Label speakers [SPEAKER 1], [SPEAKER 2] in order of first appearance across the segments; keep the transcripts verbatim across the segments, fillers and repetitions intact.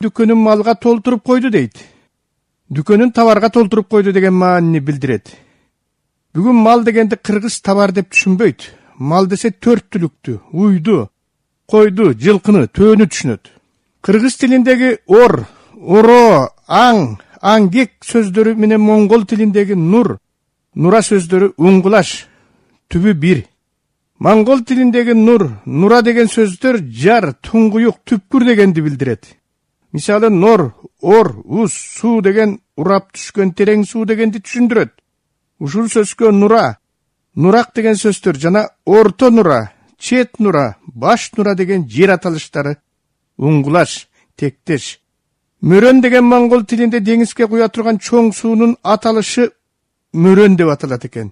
[SPEAKER 1] дүкөнүн малга толтуруп койду дейт. Дүкөнүн товарга толтуруп койду деген маанини билдирет. Бүгүн мал дегенди кыргыз товар деп түшүнбөйт. Мал десе төрт түлүктү, уйду, койду, жылкыны, төөнү түшүнөт. Кыргыз тилиндеги ор, оро, аң, аңгек сөздөрү менен моңгол тилиндеги нур, нура сөздөрү уңгулаш, түбү бир. Моңгол тилиндеги нур, нура деген сөздөр жар, туңгуюк, түпкүр дегенди билдирет. Мисалы нор, ор, уз, суу деген урап түшкөн терең суу дегенди түшүндүрөт. Ушул сөзгө нура, нурак деген сөздөр жана орто нура, чет нура, баш нура деген жер аталыштары уңгулаш, тектеш. Мөрөн деген моңгол тилинде деңизге куя турган чоң суунун аталышы мөрөн деп аталат экен.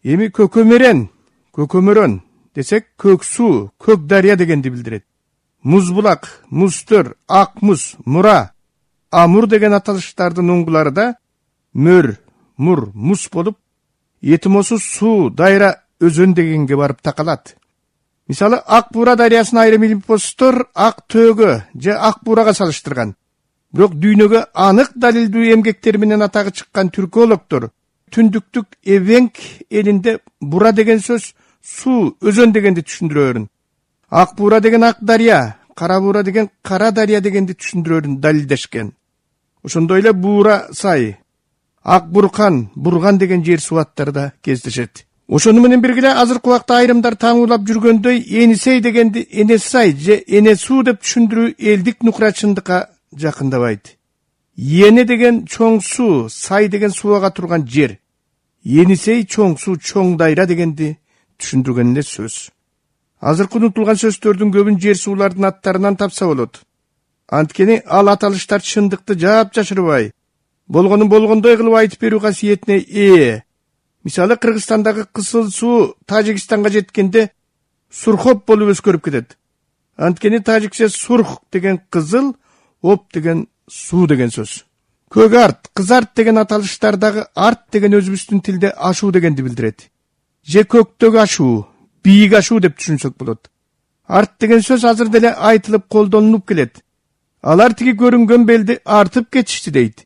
[SPEAKER 1] Эми көкөмөрөн, көкөмөрөн десек көк суу, көк дарыя дегенди билдирет. Музбулак, музтөр, ак муз, мура, амур деген аталыштардын уңгулары да мөр, мур, муз болуп, этимосу суу, дайра, өзөн дегенге барып такалат. Мисалы, Ак Буура дарыясын айрым илимпоздор Ак төөгө же Ак Буурага салыштырган. Бирок дүйнөгө анык далилдүү эмгектер менен атагы чыккан түркологдор түндүктүк Эвенк элинде бура деген сөз суу, өзөн дегенди түшүндүрөөрүн. Ак Буура деген ак дарыя, Кара Буура деген кара дарыя дегенди түшүндүрөөрүн далилдешкен. Ошондой эле Буура сай, Ак Буркан, Бурган деген жер субаттары да кездешет. Ошону менен бирге азыркы убакта айрымдар таңуулап жүргөндөй Энисей дегенди Энесай же Энесуу деп түшүндүрүү элдик нукрачындыкка жакындабайт. Эне деген чоң суу, сай деген сууга турган жер. Енисей чоң суу, чоң дайра дегенди түшүндүргөн эле сөз. Азыркы унутулган сөздөрдүн көбүн жер суулардын аттарынан тапса болот. Анткени ал аталыштар чындыкты жаап жашырбай, болгонун болгондой кылып айтып берүү касиетине ээ. Мисалы, Кыргызстандагы кызыл суу Тажикстанга жеткенде сурхоп болуп өзгөрүп кетет. Анткени тажикче сурх деген кызыл, оп деген суу деген сөз. Көк арт, кыз арт деген аталыштардагы арт деген өзүбүздүн тилде ашуу дегенди билдирет. Же көктөгү ашуу, бийик ашуу деп түшүнсөк болот. Арт деген сөз азыр деле айтылып колдонулуп келет. Алар тиги көрүнгөн белди артып кетишти дейт.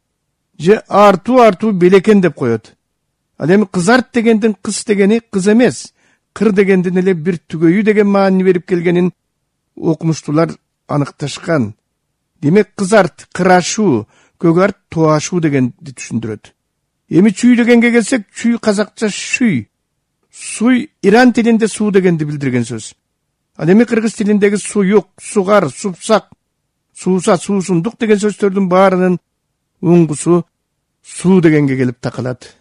[SPEAKER 1] Же артуу артуу белекен деп коет. Ал эми кыз арт дегендин кыз дегени кыз эмес, кыр дегендин эле бир түгөйү деген маани берип келгенин окумуштуулар аныкташкан. Демек кыз арт кырашуу, көк арт тоашуу дегенди түшүндүрөт. Эми чүй дегенге келсек, чүй казакча шүй. Суй Иран тилинде суу дегенди билдирген сөз. Ал эми кыргыз тилиндеги суюк, сугар, супсак, сууса, суусундук деген сөздөрдүн баарынын уңгусу суу дегенге келип такалат.